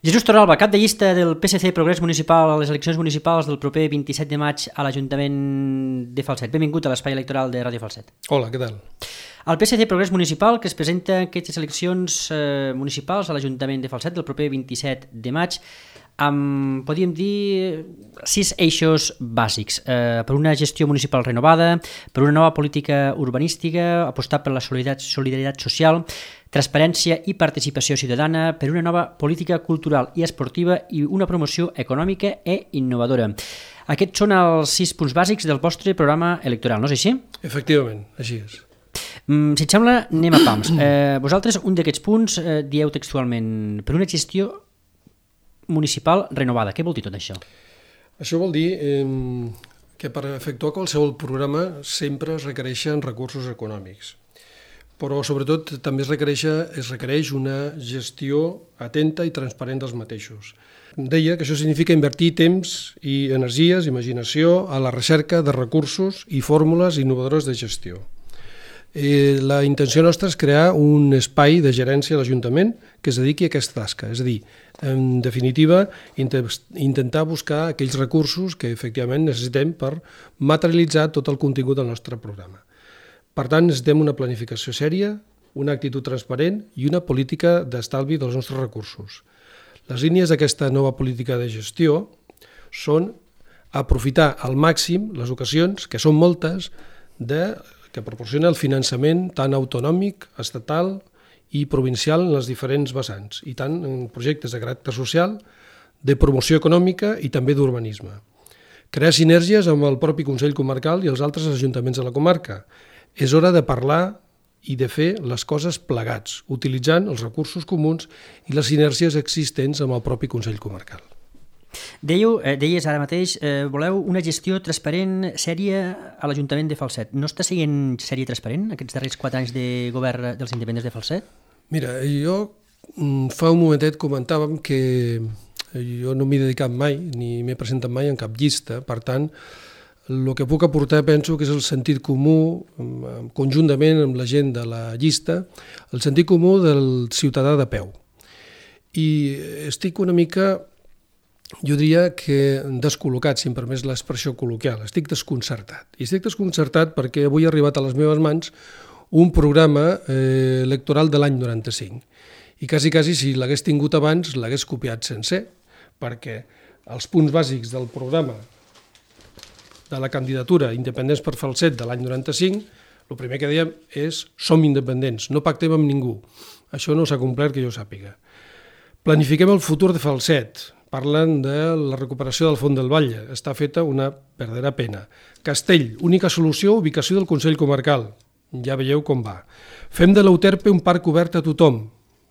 Jesús Torralba, cap de llista del PSC Progrés Municipal a les eleccions municipals del proper 27 de maig a l'Ajuntament de Falset. Benvingut a l'espai electoral de Ràdio Falset. Hola, què tal? El PSC Progrés Municipal, que es presenta en aquestes eleccions municipals a l'Ajuntament de Falset del proper 27 de maig, amb, podríem dir, 6 eixos bàsics. Per una gestió municipal renovada, per una nova política urbanística, apostar per la solidaritat social, transparència i participació ciutadana, per una nova política cultural i esportiva i una promoció econòmica i innovadora. Aquests són els 6 punts bàsics del vostre programa electoral, no és així? Efectivament, així és. Si et sembla, anem a pams. Vosaltres, un d'aquests punts, dieu textualment per una gestió municipal renovada. Què vol dir tot això? Això vol dir que per efectuar qualsevol programa sempre es requereixen recursos econòmics, però sobretot també es requereix una gestió atenta i transparent dels mateixos. Deia que això significa invertir temps i energies, imaginació, a la recerca de recursos i fórmules innovadores de gestió. La intenció nostra és crear un espai de gerència a l'Ajuntament que es dediqui a aquesta tasca, és a dir, en definitiva, intentar buscar aquells recursos que efectivament necessitem per materialitzar tot el contingut del nostre programa. Per tant, necessitem una planificació sèria, una actitud transparent i una política d'estalvi dels nostres recursos. Les línies d'aquesta nova política de gestió són aprofitar al màxim les ocasions, que són moltes, que proporciona el finançament tant autonòmic, estatal i provincial en les diferents vessants, i tant en projectes de caràcter social, de promoció econòmica i també d'urbanisme. Crear sinergies amb el propi Consell Comarcal i els altres ajuntaments de la comarca. És hora de parlar i de fer les coses plegats, utilitzant els recursos comuns i les sinergies existents amb el propi Consell Comarcal. Deies ara mateix, voleu una gestió transparent, sèria a l'Ajuntament de Falset. No està sent sèria i transparent aquests darrers 4 anys de govern dels independents de Falset? Mira, jo fa un momentet comentàvem que jo no m'he dedicat mai, ni m'he presentat mai en cap llista, per tant, el que puc aportar penso que és el sentit comú, conjuntament amb la gent de la llista, el sentit comú del ciutadà de peu. I estic una mica, jo diria que descol·locat, si em permets l'expressió col·loquial, estic desconcertat. I estic desconcertat perquè avui ha arribat a les meves mans un programa electoral de l'any 95. I quasi, si l'hagués tingut abans, l'hagués copiat sencer, perquè els punts bàsics del programa de la candidatura Independents per Falset de l'any 95, el primer que dèiem és som independents, no pactem amb ningú. Això no s'ha complert que jo sàpiga. Planifiquem el futur de Falset. Parlen de la recuperació del Font del Batlle. Està feta una verdadera pena. Castell, única solució, ubicació del Consell Comarcal. Ja veieu com va. Fem de l'Euterpe un parc obert a tothom.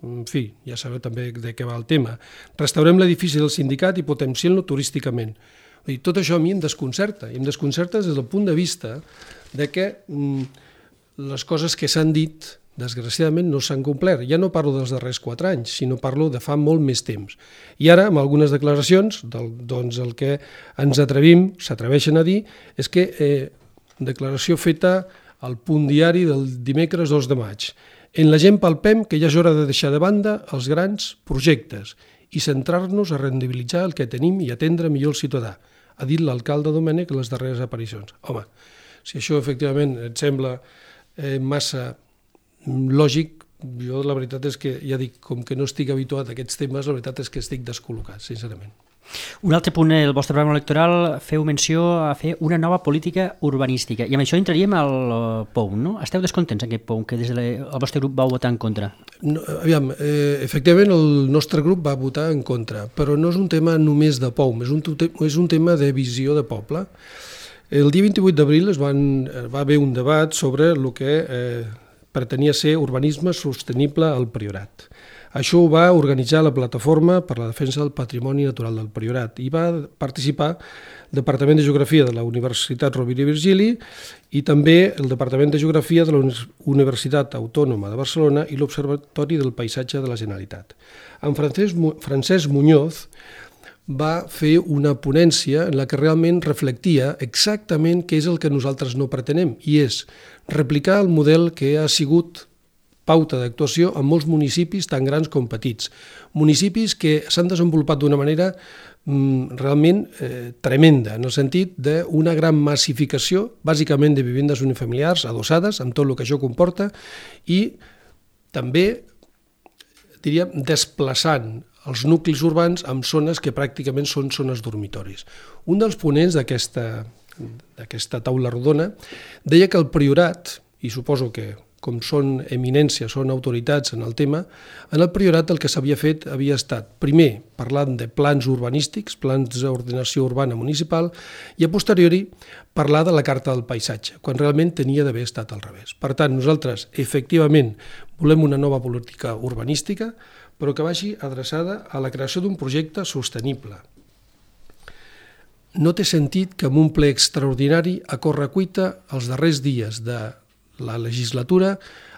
En fi, ja sabeu també de què va el tema. Restaurem l'edifici del sindicat i potenciem-lo turísticament. I tot això a mi em desconcerta. I em desconcerta des del punt de vista de que les coses que s'han dit desgraciadament no s'han complert. Ja no parlo dels darrers 4 anys, sinó parlo de fa molt més temps. I ara, amb algunes declaracions, doncs el que ens s'atreveixen a dir, és que declaració feta al Punt Diari del dimecres 2 de maig. En la gent palpem que ja és hora de deixar de banda els grans projectes i centrar-nos a rendibilitzar el que tenim i atendre millor el ciutadà, ha dit l'alcalde Domènech en les darreres aparicions. Home, si això efectivament et sembla massa lògic, jo la veritat és que, ja dic, com que no estic habituat a aquests temes, la veritat és que estic descol·locat, sincerament. Un altre punt del vostre programa electoral feu menció a fer una nova política urbanística, i amb això entraríem al POUM, no? Esteu descontents en aquest POUM, que des del vostre grup vau votar en contra? No, aviam, efectivament el nostre grup va votar en contra, però no és un tema només de POUM, és un tema de visió de poble. El dia 28 d'abril va haver un debat sobre el que pretenia ser urbanisme sostenible al Priorat. Això ho va organitzar la Plataforma per la Defensa del Patrimoni Natural del Priorat i va participar el Departament de Geografia de la Universitat Rovira i Virgili i també el Departament de Geografia de la Universitat Autònoma de Barcelona i l'Observatori del Paisatge de la Generalitat. En Francesc Muñoz va fer una ponència en la que realment reflectia exactament què és el que nosaltres no pretenem, i és replicar el model que ha sigut pauta d'actuació en molts municipis tan grans com petits. Municipis que s'han desenvolupat d'una manera realment tremenda, en el sentit d'una gran massificació, bàsicament de vivendes unifamiliars adossades, amb tot el que això comporta, i també, diríem, desplaçant els nuclis urbans en zones que pràcticament són zones dormitoris. Un dels ponents d'aquesta taula rodona deia que el Priorat, i suposo que com són eminències, són autoritats en el tema, en el Priorat el que s'havia fet havia estat, primer, parlant de plans urbanístics, plans d'ordenació urbana municipal, i a posteriori parlar de la Carta del Paisatge, quan realment tenia d'haver estat al revés. Per tant, nosaltres, efectivament, volem una nova política urbanística, però que vagi adreçada a la creació d'un projecte sostenible. No té sentit que en un ple extraordinari a correcuita els darrers dies de la legislatura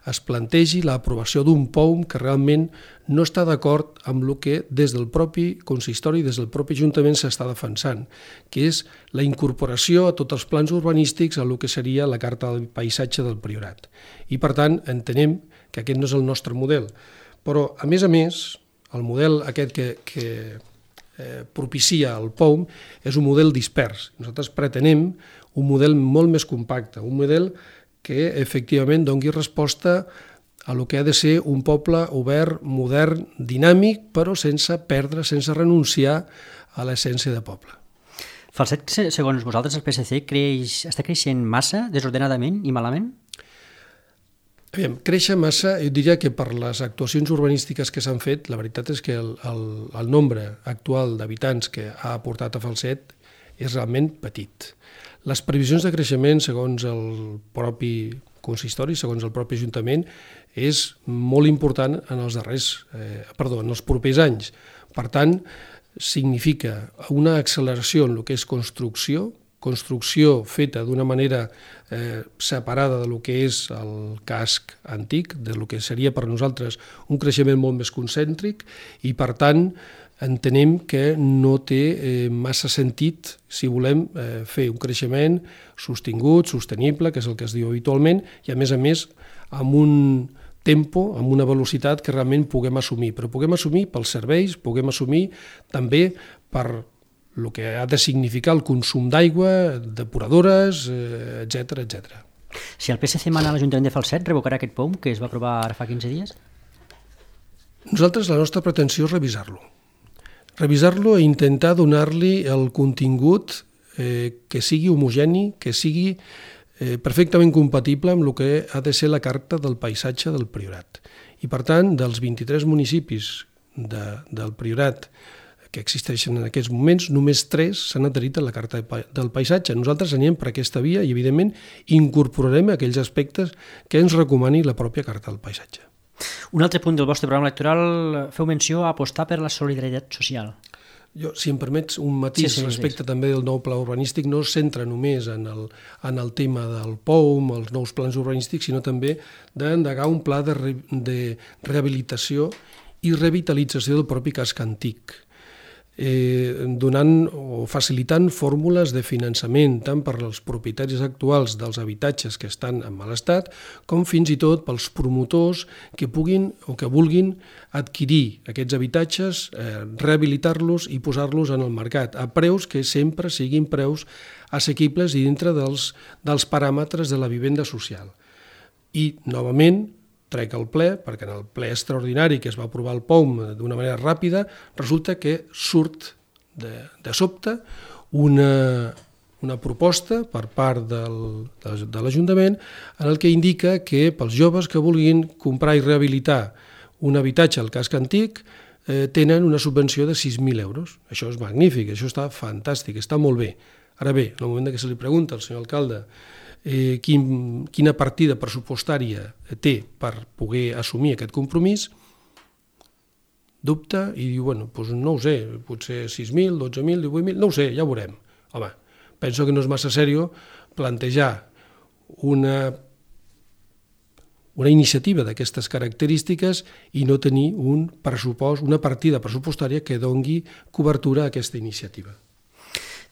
es plantegi l'aprovació d'un POUM que realment no està d'acord amb el que des del propi consistori, des del propi Ajuntament s'està defensant, que és la incorporació a tots els plans urbanístics a el que seria la Carta del Paisatge del Priorat. I per tant entenem que aquest no és el nostre model. Però a més, el model aquest que propicia el POUM és un model dispers. Nosaltres pretenem un model molt més compacte, un model que efectivament doni resposta a el que ha de ser un poble obert, modern, dinàmic, però sense perdre, sense renunciar a l'essència de poble. Falset, segons vosaltres, el PSC està creixent massa, desordenadament i malament? Créixer massa, jo diria que per les actuacions urbanístiques que s'han fet, la veritat és que el nombre actual d'habitants que ha aportat a Falset és realment petit. Les previsions de creixement, segons el propi consistori, segons el propi Ajuntament, és molt important en els propers anys. Per tant, significa una acceleració en el que és construcció feta d'una manera separada del que és el casc antic, del que seria per nosaltres un creixement molt més concèntric, i per tant entenem que no té massa sentit si volem fer un creixement sostingut, sostenible, que és el que es diu habitualment, i a més amb un tempo, amb una velocitat que realment puguem assumir. Però puguem assumir pels serveis, puguem assumir també per el que ha de significar el consum d'aigua, depuradores, etc. Si el PSC mana a l'Ajuntament de Falset, revocarà aquest POUM que es va aprovar ara fa 15 dies? Nosaltres la nostra pretensió és revisar-lo i intentar donar-li el contingut que sigui homogeni, que sigui perfectament compatible amb el que ha de ser la Carta del Paisatge del Priorat. I per tant, dels 23 municipis del Priorat que existeixen en aquests moments, només 3 s'han adherit a la Carta del Paisatge. Nosaltres anem per aquesta via i, evidentment, incorporarem aquells aspectes que ens recomani la pròpia Carta del Paisatge. Un altre punt del vostre programa electoral feu menció a apostar per la solidaritat social. Jo, si em permets, un matís respecte també del nou pla urbanístic, no es centra només en el tema del POUM, els nous plans urbanístics, sinó també d'endegar un pla de rehabilitació i revitalització del propi casc antic, donant o facilitant fórmules de finançament tant per als propietaris actuals dels habitatges que estan en mal estat com fins i tot pels promotors que puguin o que vulguin adquirir aquests habitatges, rehabilitar-los i posar-los en el mercat a preus que sempre siguin preus assequibles i dintre dels paràmetres de la vivenda social. I, novament, trec el ple, perquè en el ple extraordinari que es va aprovar el POUM d'una manera ràpida, resulta que surt de sobte una proposta per part de l'Ajuntament en el que indica que pels joves que vulguin comprar i rehabilitar un habitatge al casc antic tenen una subvenció de 6.000 euros. Això és magnífic, això està fantàstic, està molt bé. Ara bé, en el moment que se li pregunta al senyor alcalde quina partida pressupostària té per poder assumir aquest compromís, dubta i diu, bueno, doncs no ho sé, potser 6.000, 12.000, 18.000, no ho sé, ja ho veurem. Home, penso que no és massa seriós plantejar una iniciativa d'aquestes característiques i no tenir un pressupost, una partida pressupostària que doni cobertura a aquesta iniciativa.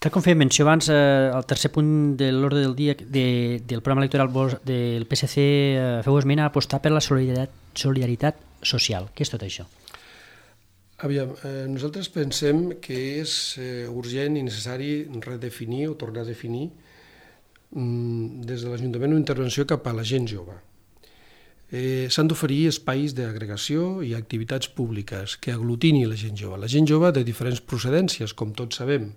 Tal com fèiem menció abans, el tercer punt de l'ordre del dia del programa electoral del PSC feu esmena a apostar per la solidaritat social. Què és tot això? Aviam, nosaltres pensem que és urgent i necessari redefinir o tornar a definir des de l'Ajuntament una intervenció cap a la gent jove. S'han d'oferir espais d'agregació i activitats públiques que aglutini la gent jove de diferents procedències, com tots sabem.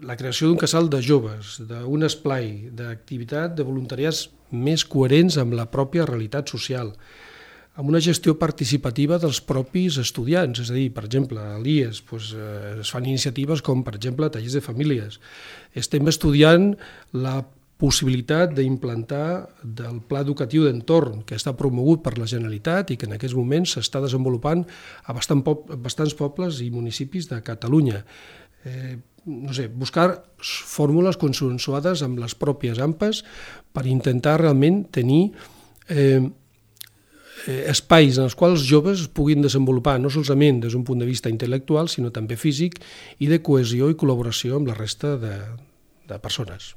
La creació d'un casal de joves, d'un esplai, d'activitat de voluntariats més coherents amb la pròpia realitat social, amb una gestió participativa dels propis estudiants, és a dir, per exemple, a l'IES es fan iniciatives com, per exemple, tallers de famílies. Estem estudiant la possibilitat d'implantar del pla educatiu d'entorn que està promogut per la Generalitat i que en aquests moments s'està desenvolupant a bastants pobles i municipis de Catalunya. Buscar fórmules consensuades amb les pròpies AMPAs per intentar realment tenir espais en els quals els joves es puguin desenvolupar no solament des d'un punt de vista intel·lectual, sinó també físic i de cohesió i col·laboració amb la resta de persones.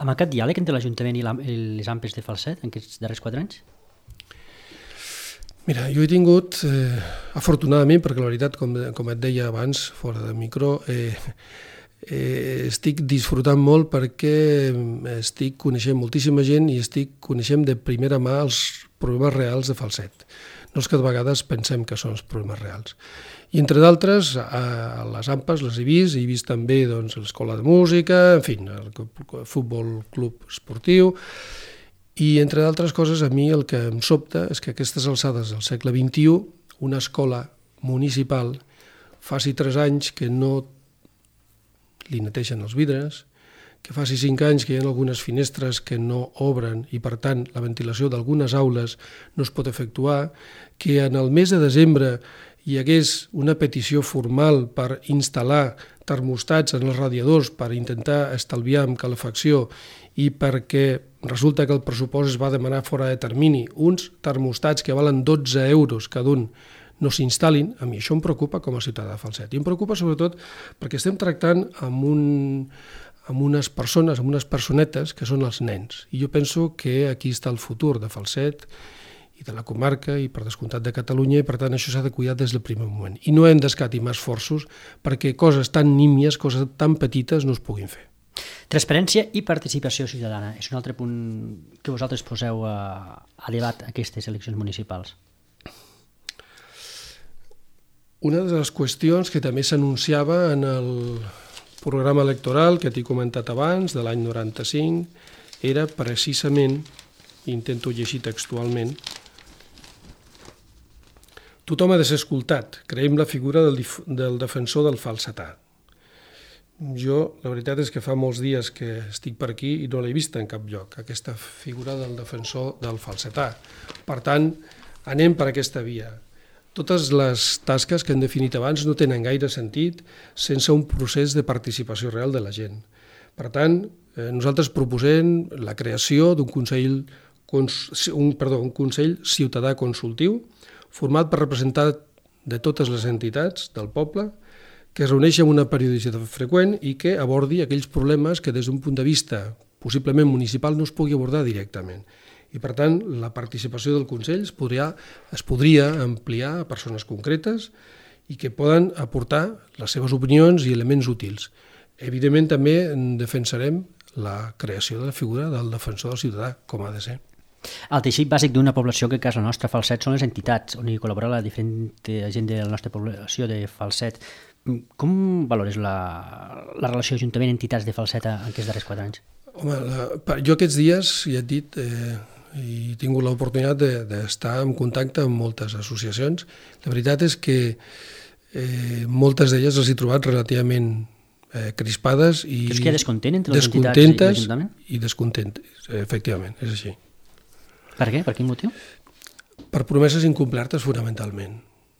Amb aquest diàleg entre l'Ajuntament i les AMPAs de Falset en aquests darrers 4 anys? Mira, jo he tingut, afortunadament, perquè la veritat, com et deia abans, fora de micro, estic disfrutant molt perquè estic coneixent moltíssima gent i estic coneixent de primera mà els problemes reals de Falset. No els que de vegades pensem que són els problemes reals. I entre d'altres, a les AMPAs les he vist també l'escola de música, en fi, el futbol club esportiu. I, entre d'altres coses, a mi el que em sobta és que a aquestes alçades del segle XXI una escola municipal faci 3 anys que no li neteixen els vidres, que faci 5 anys que hi ha algunes finestres que no obren i, per tant, la ventilació d'algunes aules no es pot efectuar, que en el mes de desembre hi hagués una petició formal per instal·lar termostats en els radiadors per intentar estalviar amb calefacció i perquè resulta que el pressupost es va demanar fora de termini, uns termostats que valen 12 euros cada un no s'instal·lin, a mi això em preocupa com a ciutadà de Falset. I em preocupa sobretot perquè estem tractant amb unes persones, amb unes personetes que són els nens. I jo penso que aquí està el futur de Falset i de la comarca i per descomptat de Catalunya i per tant això s'ha de cuidar des del primer moment. I no hem d'escatimar esforços perquè coses tan nímies, coses tan petites no es puguin fer. Transparència i participació ciutadana és un altre punt que vosaltres poseu a debat aquestes eleccions municipals. Una de les qüestions que també s'anunciava en el programa electoral que t'he comentat abans, de l'any 95, era precisament, intento llegir textualment, tothom ha de ser escoltat, creiem la figura del defensor del falsetà. Jo, la veritat és que fa molts dies que estic per aquí i no l'he vista en cap lloc, aquesta figura del defensor del falsetà. Per tant, anem per aquesta via. Totes les tasques que hem definit abans no tenen gaire sentit sense un procés de participació real de la gent. Per tant, nosaltres proposem la creació d'un consell ciutadà consultiu format per representar de totes les entitats del poble que es reuneixi amb una periodicitat freqüent i que abordi aquells problemes que des d'un punt de vista possiblement municipal no es pugui abordar directament. I, per tant, la participació del Consell es podria ampliar a persones concretes i que poden aportar les seves opinions i elements útils. Evidentment, també defensarem la creació de la figura del defensor del ciutadà, com ha de ser. El teixit bàsic d'una població que a casa nostra, Falset, són les entitats on hi col·labora la diferent gent de la nostra població de Falset. Com valores la relació Ajuntament-entitats de Falset en aquests darrers 4 anys? Home, jo aquests dies, ja et dit, he tingut l'oportunitat d'estar en contacte amb moltes associacions. La veritat és que moltes d'elles les he trobat relativament crispades i creus que hi ha descontent entre les entitats i l'Ajuntament? I descontentes, efectivament, és així. Per què? Per quin motiu? Per promeses incomplertes fonamentalment.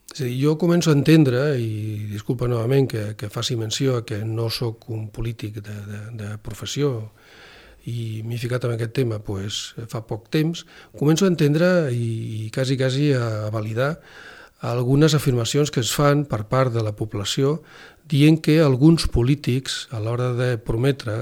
És a dir, jo començo a entendre, i disculpa novament que faci menció que no sóc un polític de professió i m'he ficat en aquest tema fa poc temps, començo a entendre i quasi a validar algunes afirmacions que es fan per part de la població dient que alguns polítics, a l'hora de prometre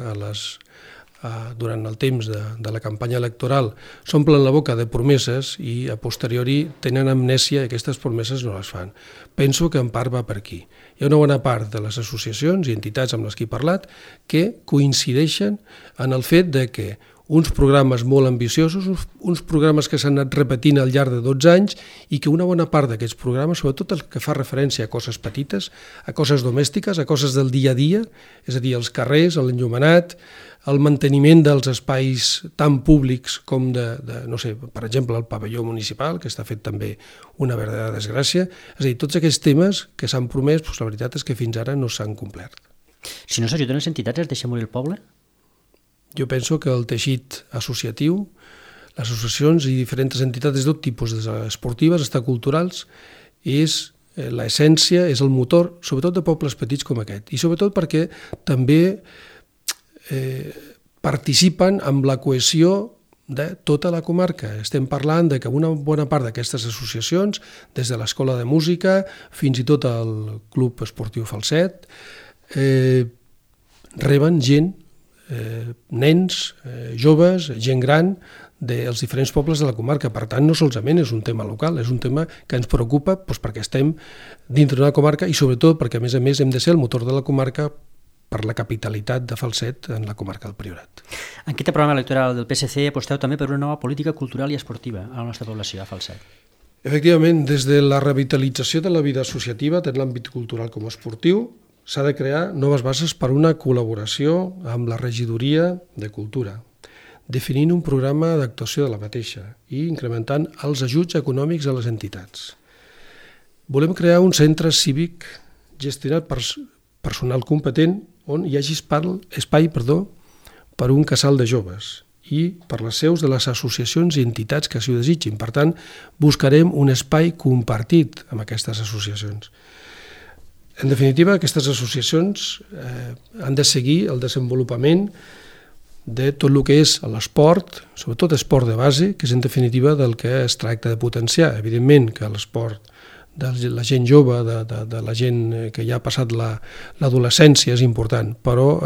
durant el temps de la campanya electoral, s'omplen la boca de promeses i a posteriori tenen amnèsia i aquestes promeses no les fan. Penso que en part va per aquí. Hi ha una bona part de les associacions i entitats amb les que he parlat que coincideixen en el fet de que uns programes molt ambiciosos, uns programes que s'han anat repetint al llarg de 12 anys i que una bona part d'aquests programes, sobretot el que fa referència a coses petites, a coses domèstiques, a coses del dia a dia, és a dir, els carrers, l'enllumenat, el manteniment dels espais tan públics com no sé, per exemple, el pavelló municipal, que està fet també una verdadera desgràcia. És a dir, tots aquests temes que s'han promès, doncs la veritat és que fins ara no s'han complert. Si no s'ajuden les entitats, es deixa morir el poble? Jo penso que el teixit associatiu, les associacions i diferents entitats de tot tipus, des esportives fins culturals, és l'essència, és el motor, sobretot de pobles petits com aquest. I sobretot perquè també participen amb la cohesió de tota la comarca. Estem parlant de que una bona part d'aquestes associacions, des de l'Escola de Música fins i tot el Club Esportiu Falset, reben gent, nens, joves, gent gran dels diferents pobles de la comarca. Per tant, no solament és un tema local, és un tema que ens preocupa perquè estem dintre d'una comarca i sobretot perquè, a més, hem de ser el motor de la comarca per la capitalitat de Falset en la comarca del Priorat. En aquest programa electoral del PSC aposteu també per una nova política cultural i esportiva a la nostra població, a Falset. Efectivament, des de la revitalització de la vida associativa, tant l'àmbit cultural com esportiu, s'ha de crear noves bases per una col·laboració amb la regidoria de cultura, definint un programa d'actuació de la mateixa i incrementant els ajuts econòmics a les entitats. Volem crear un centre cívic gestionat per personal competent on hi hagi espai per un casal de joves i per les seus de les associacions i entitats que s'hi desitgin. Per tant, buscarem un espai compartit amb aquestes associacions. En definitiva, aquestes associacions han de seguir el desenvolupament de tot el que és l'esport, sobretot esport de base, que és en definitiva del que es tracta de potenciar. Evidentment que l'esport de la gent jove, de la gent que ja ha passat l'adolescència és important, però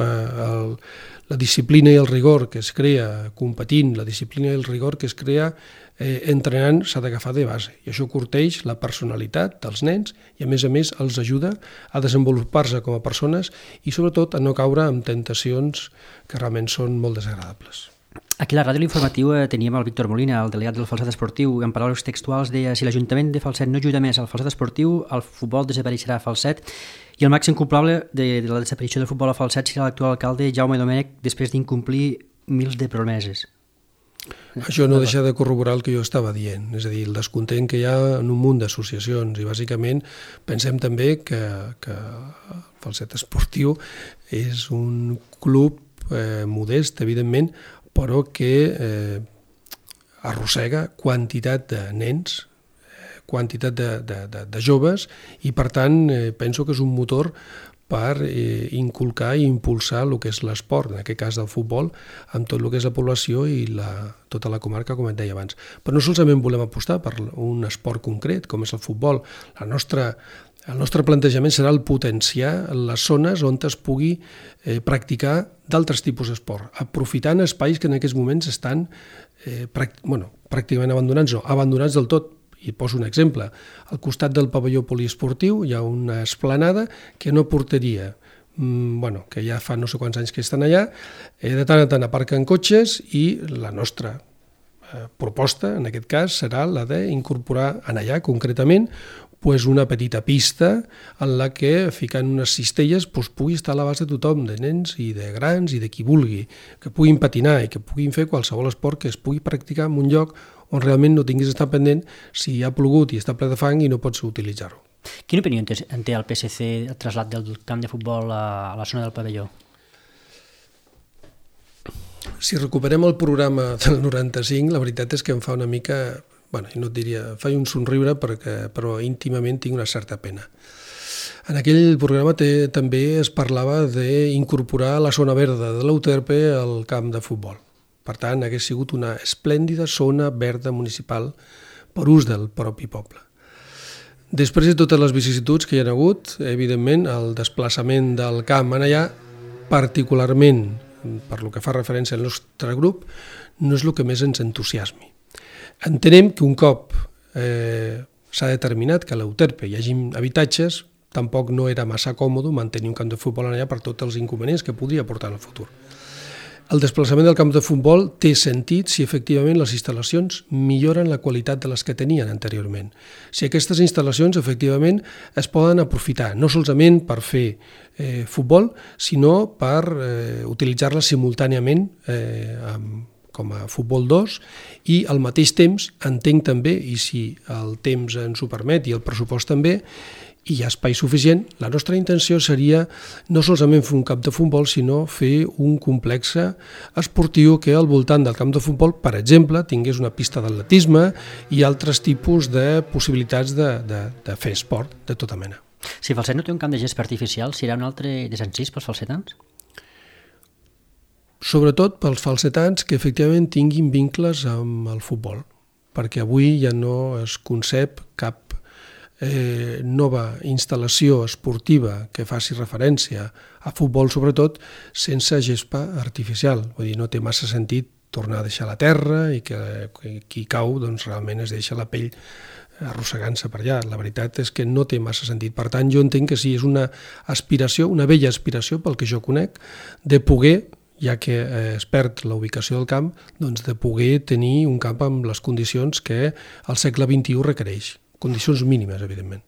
la disciplina i el rigor que es crea competint, la disciplina i el rigor que es crea entrenant s'ha d'agafar de base. I això curteix la personalitat dels nens i, a més, els ajuda a desenvolupar-se com a persones i, sobretot, a no caure en tentacions que realment són molt desagradables. Aquí a la ràdio l'informatiu teníem el Víctor Molina, el delegat del Falset Esportiu, i en paraules textuals deia: si l'Ajuntament de Falset no ajuda més al Falset Esportiu, el futbol desapareixerà a Falset i el màxim culpable de la desaparició del futbol a Falset serà l'actual alcalde Jaume Domènech després d'incomplir mils de promeses. Això no deixa de corroborar el que jo estava dient, és a dir, el descontent que hi ha en un munt d'associacions i bàsicament pensem també que el Falset Esportiu és un club modest, evidentment, però que arrossega quantitat de nens, quantitat de joves i per tant penso que és un motor per inculcar i impulsar el que és l'esport, en aquest cas del futbol, amb tot el que és la població i tota la comarca, com et deia abans. Però no solament volem apostar per un esport concret, com és el futbol. El nostre plantejament serà el potenciar les zones on es pugui practicar d'altres tipus d'esport, aprofitant espais que en aquests moments estan pràcticament abandonats, no, abandonats del tot. I poso un exemple. Al costat del pavelló poliesportiu hi ha una esplanada que no portaria, que ja fa no sé quants anys que estan allà, de tant en tant aparquen cotxes i la nostra proposta, en aquest cas, serà la d'incorporar en allà, concretament, una petita pista en la que, ficant unes cistelles, pugui estar a l'abast de tothom, de nens i de grans i de qui vulgui, que puguin patinar i que puguin fer qualsevol esport que es pugui practicar en un lloc on realment no tinguis d'estar pendent si ha plogut i està ple de fang i no pots utilitzar-ho. Quina opinió en té el PSC el trasllat del camp de futbol a la zona del pavelló? Si recuperem el programa del 95, la veritat és que em fa una mica, i no et diria, fa un somriure, però íntimament tinc una certa pena. En aquell programa també es parlava d'incorporar la zona verda de l'Euterpe al camp de futbol. Per tant, hagués sigut una esplèndida zona verda municipal per ús del propi poble. Després de totes les vicissituds que hi ha hagut, evidentment, el desplaçament del camp en allà, particularment per lo que fa referència al nostre grup, no és el que més ens entusiasmi. Entenem que un cop s'ha determinat que a l'Euterpe hi hagi habitatges, tampoc no era massa còmode mantenir un camp de futbol allà per tots els inconvenients que podria portar en el futur. El desplaçament del camp de futbol té sentit si efectivament les instal·lacions milloren la qualitat de les que tenien anteriorment. Si aquestes instal·lacions efectivament es poden aprofitar, no solament per fer futbol, sinó per utilitzar-les simultàniament com a futbol 2 i al mateix temps entenc també, i si el temps ens ho permet i el pressupost també, i hi ha espai suficient, la nostra intenció seria no solament fer un camp de futbol, sinó fer un complex esportiu que al voltant del camp de futbol, per exemple, tingués una pista d'atletisme i altres tipus de possibilitats de fer esport de tota mena. Si Falset no té un camp de gespa artificial, serà un altre desencís pels falsetans? Sobretot pels falsetans que efectivament tinguin vincles amb el futbol, perquè avui ja no es concep cap nova instal·lació esportiva que faci referència a futbol, sobretot, sense gespa artificial. Vull dir, no té massa sentit tornar a deixar la terra i que qui cau doncs, realment es deixa la pell arrossegant-se per allà. La veritat és que no té massa sentit. Per tant, jo entenc que sí, és una aspiració, una vella aspiració, pel que jo conec, de poder, ja que es perd la ubicació del camp, doncs de poder tenir un camp amb les condicions que el segle XXI requereix. Condicions mínimes, evidentment.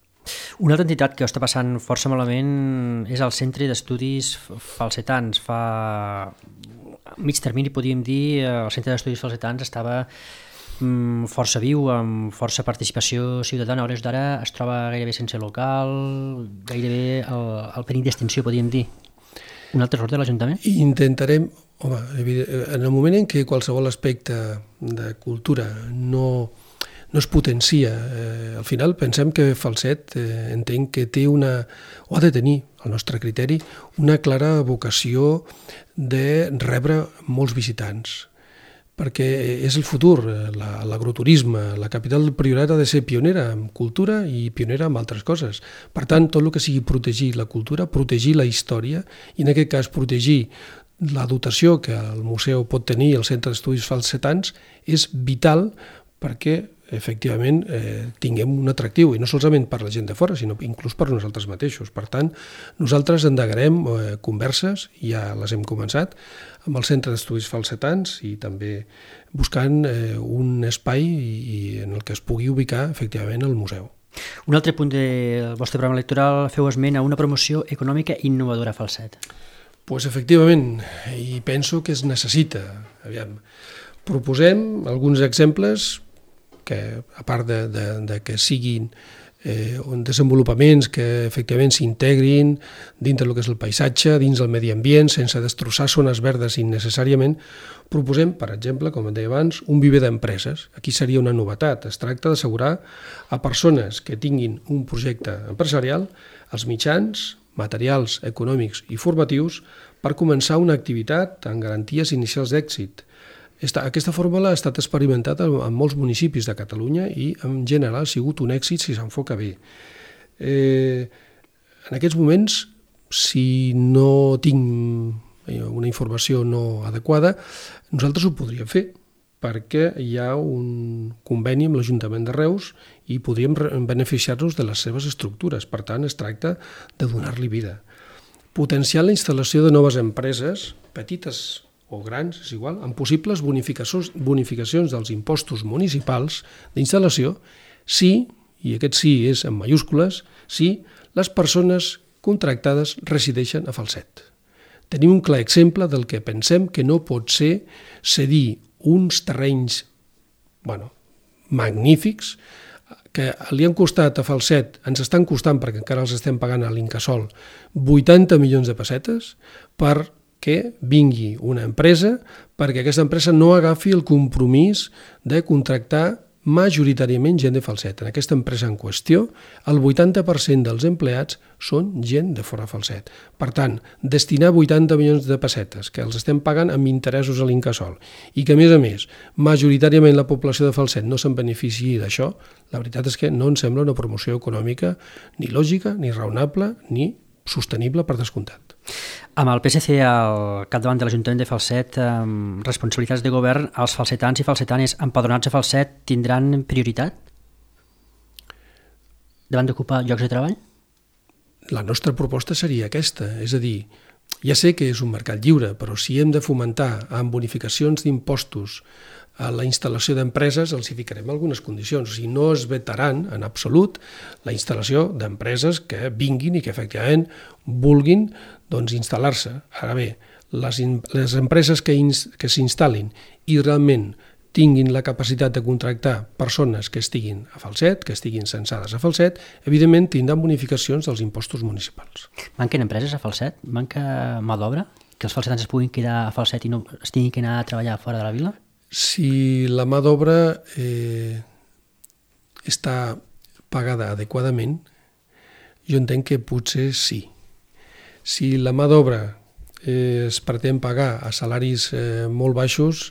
Una altra entitat que ho està passant força malament és el Centre d'Estudis Falsetans. Fa mig termini, podríem dir, el Centre d'Estudis Falsetans estava força viu, amb força participació ciutadana. A hores d'ara es troba gairebé sense local, gairebé al perill d'extinció, podríem dir. Un altre error de l'Ajuntament? Intentarem, home, en el moment en què qualsevol aspecte de cultura no es potencia. Al final pensem que Falset entenc que té o ha de tenir, al nostre criteri, una clara vocació de rebre molts visitants, perquè és el futur, l'agroturisme, la capital del Priorat ha de ser pionera en cultura i pionera en altres coses. Per tant, tot el que sigui protegir la cultura, protegir la història, i en aquest cas protegir la dotació que el museu pot tenir, el Centre d'Estudis Falsetans, és vital perquè efectivament tinguem un atractiu, i no solament per la gent de fora, sinó inclús per nosaltres mateixos. Per tant, nosaltres endegarem converses, ja les hem començat, amb el Centre d'Estudis Falsetans i també buscant un espai en el que es pugui ubicar efectivament el museu. Un altre punt del vostre programa electoral feu esment a una promoció econòmica innovadora a Falset. Pues efectivament, i penso que es necessita. Aviam, proposem alguns exemples que, a part de que siguin desenvolupaments que efectivament s'integrin dintre del que és el paisatge, dins del medi ambient, sense destrossar zones verdes innecessàriament, proposem, per exemple, com deia abans, un viver d'empreses. Aquí seria una novetat. Es tracta d'assegurar a persones que tinguin un projecte empresarial els mitjans, materials econòmics i formatius per començar una activitat amb garanties inicials d'èxit. Aquesta fórmula ha estat experimentada en molts municipis de Catalunya i en general ha sigut un èxit si s'enfoca bé. En aquests moments, si no tinc una informació no adequada, nosaltres ho podríem fer, perquè hi ha un conveni amb l'Ajuntament de Reus i podríem beneficiar-nos de les seves estructures. Per tant, es tracta de donar-li vida. Potenciar la instal·lació de noves empreses, petites o grans, és igual, amb possibles bonificacions dels impostos municipals d'instal·lació, si, i aquest sí és en majúscules, si les persones contractades resideixen a Falset. Tenim un clar exemple del que pensem que no pot ser cedir uns terrenys magnífics que li han costat a Falset, ens estan costant perquè encara els estem pagant a l'Incasòl 80 milions de pessetes perquè vingui una empresa, perquè aquesta empresa no agafi el compromís de contractar majoritàriament gent de Falset. En aquesta empresa en qüestió, el 80% dels empleats són gent de fora Falset. Per tant, destinar 80 milions de pessetes, que els estem pagant amb interessos a l'Incasòl, i que, a més, majoritàriament la població de Falset no se'n beneficiï d'això, la veritat és que no ens sembla una promoció econòmica ni lògica, ni raonable, ni sostenible per descomptat. Amb el PSC al capdavant de l'Ajuntament de Falset, amb responsabilitats de govern, els falsetans i falsetanes empadronats a Falset tindran prioritat davant d'ocupar llocs de treball? La nostra proposta seria aquesta, és a dir, ja sé que és un mercat lliure, però si hem de fomentar amb bonificacions d'impostos a la instal·lació d'empreses, els hi ficarem algunes condicions. O sigui, no es vetaran en absolut la instal·lació d'empreses que vinguin i que efectivament vulguin instal·lar-se. Ara bé, les empreses que s'instal·lin i realment tinguin la capacitat de contractar persones que estiguin a Falset, que estiguin censades a Falset, evidentment tindran bonificacions dels impostos municipals. Manquen empreses a Falset? Manca mà d'obra? Que els falsetans es puguin quedar a Falset i no es tinguin que anar a treballar fora de la vila? Si la mà d'obra està pagada adequadament, jo entenc que potser sí. Si la mà d'obra es pretén pagar a salaris molt baixos,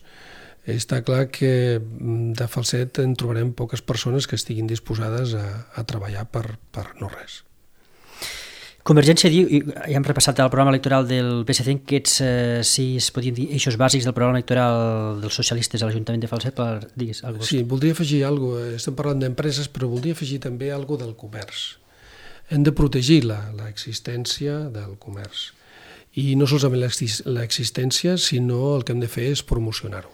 està clar que de Falset en trobarem poques persones que estiguin disposades a treballar per no res. Convergència diu, i ja hem repassat el programa electoral del PSC, que sis, podríem dir, eixos bàsics del programa electoral dels socialistes a l'Ajuntament de Falset, digues alguna cosa. Sí, voldria afegir alguna cosa. Estem parlant d'empreses, però voldria afegir també alguna cosa del comerç. Hem de protegir l'existència del comerç. I no solament l'existència, sinó el que hem de fer és promocionar-ho.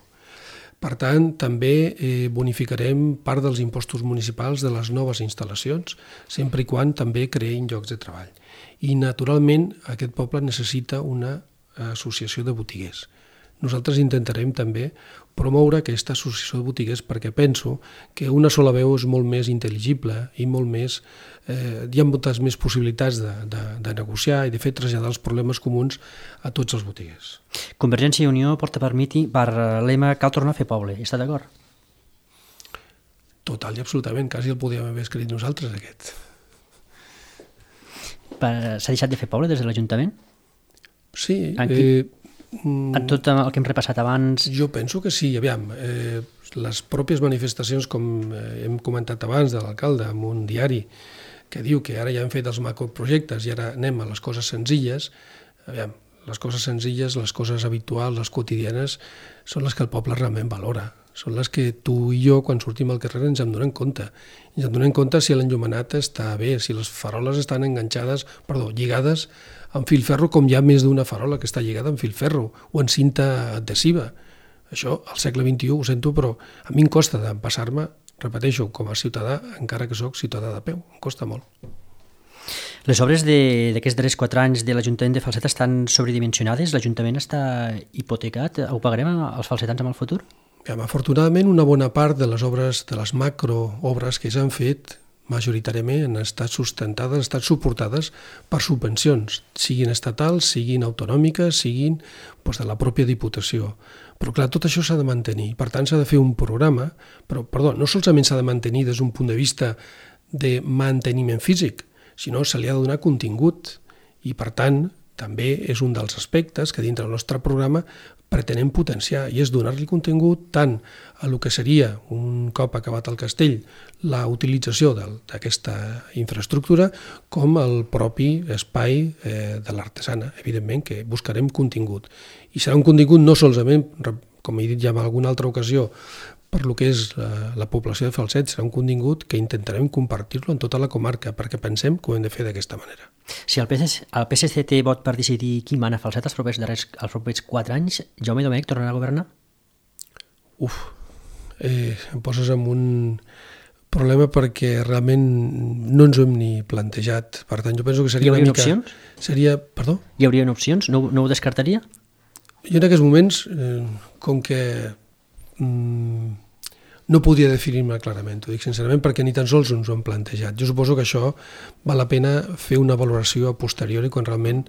Per tant, també bonificarem part dels impostos municipals de les noves instal·lacions, sempre i quan també creïn llocs de treball. I, naturalment, aquest poble necessita una associació de botiguers. Nosaltres intentarem també promoure aquesta associació de botiguers perquè penso que una sola veu és molt més intel·ligible i molt més, hi ha moltes més possibilitats de negociar i de fer traslladar els problemes comuns a tots els botiguers. Convergència i Unió porta per lema cal tornar a fer poble. Està d'acord? Total i absolutament. Quasi el podíem haver escrit nosaltres, aquest. S'ha deixat de fer poble des de l'Ajuntament? Sí. En tot el que hem repassat abans? Jo penso que sí. Aviam, les pròpies manifestacions, com hem comentat abans de l'alcalde, en un diari que diu que ara ja hem fet els macroprojectes i ara anem a les coses senzilles, aviam, les coses senzilles, les coses habituals, les quotidianes, són les que el poble realment valora. Són les que tu i jo, quan sortim al carrer, ens en donem compte. Ens en donem compte si l'enllumenat està bé, si les faroles estan lligades amb filferro, com hi ha més d'una farola que està lligada amb filferro o en cinta adhesiva. Això, al segle XXI, ho sento, però a mi em costa d'empassar-me, repeteixo, com a ciutadà, encara que sóc ciutadà de peu. Em costa molt. Les obres d'aquests darrers 4 anys de l'Ajuntament de Falset estan sobredimensionades? L'Ajuntament està hipotecat? Ho pagarem els falsetans en el futur? Afortunadament, una bona part de les obres, de les macroobres que s'han fet, majoritàriament han estat sustentades, han estat suportades per subvencions, siguin estatals, siguin autonòmiques, siguin de la pròpia Diputació. Però clar, tot això s'ha de mantenir. Per tant, s'ha de fer un programa, però, no solament s'ha de mantenir des d'un punt de vista de manteniment físic, sinó se li ha de donar contingut. I, per tant, també és un dels aspectes que dintre del nostre programa pretenem potenciar, i és donar-li contingut tant a el que seria, un cop acabat el castell, la utilització d'aquesta infraestructura, com al propi espai de l'artesana. Evidentment que buscarem contingut. I serà un contingut no solament, com he dit ja en alguna altra ocasió, per lo que és la població de Falset, serà un contingut que intentarem compartir-lo en tota la comarca, perquè pensem que ho hem de fer d'aquesta manera. Si el PSC té vot per decidir qui mana a Falset els propers 4 anys, Jaume Domènech tornarà a governar? Em poses en un problema perquè realment no ens ho hem ni plantejat. Per tant, jo penso que seria una mica... Hi haurien opcions? Perdó? Hi haurien opcions? No ho descartaria? Jo en aquests moments, com que no podia definir-me clarament, ho dic sincerament, perquè ni tan sols ens ho hem plantejat. Jo suposo que això val la pena fer una valoració a posteriori quan realment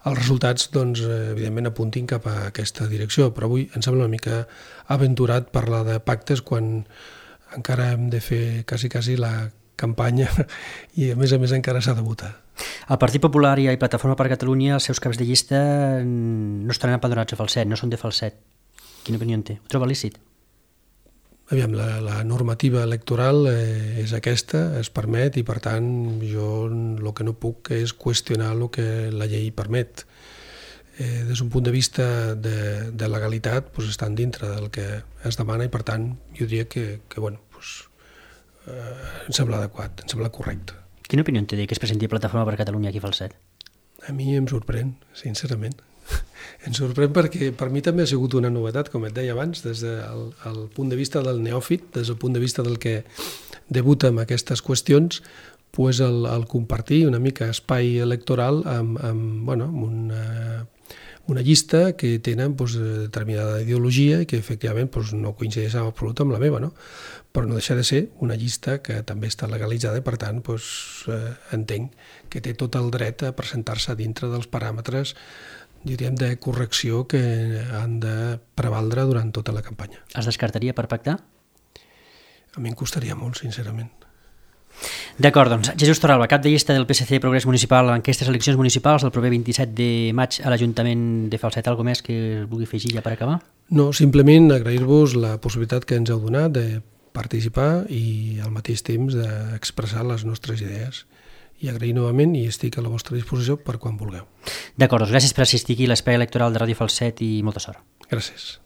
els resultats, evidentment, apuntin cap a aquesta direcció. Però avui em sembla una mica aventurat parlar de pactes quan encara hem de fer quasi la campanya i a més encara s'ha de votar. El Partit Popular i Plataforma per Catalunya, els seus caps de llista no estan empadronats a Falset, no són de Falset. Quina opinió en té? Ho troba lícit? Aviam, la normativa electoral és aquesta, es permet, i per tant jo el que no puc és qüestionar el que la llei permet. Des d'un punt de vista de legalitat, estan dintre del que es demana i per tant jo diria que em sembla adequat, em sembla correcte. Quina opinió en té que es presenti Plataforma per Catalunya aquí a Falset? A mi em sorprèn, sincerament. Em sorprèn perquè per mi també ha sigut una novetat, com et deia abans, des del punt de vista del neòfit, des del punt de vista del que debuta amb aquestes qüestions, el compartir una mica espai electoral amb una llista que tenen determinada ideologia i que efectivament no coincideix en absolut amb la meva, no? Però no deixa de ser una llista que també està legalitzada i per tant entenc que té tot el dret a presentar-se dintre dels paràmetres, diríem, de correcció que han de prevaldre durant tota la campanya. Es descartaria per pactar? A mi em costaria molt, sincerament. D'acord, doncs Jesús Torralba, cap de llista del PSC Progrés Municipal en aquestes eleccions municipals el proper 27 de maig a l'Ajuntament de Falset. Algo més que vulgui afegir ja per acabar? No, simplement agrair-vos la possibilitat que ens heu donat de participar i al mateix temps d'expressar les nostres idees. I agrair novament i estic a la vostra disposició per quan vulgueu. D'acord, doncs gràcies per assistir aquí a l'espai electoral de Ràdio Falset i molta sort. Gràcies.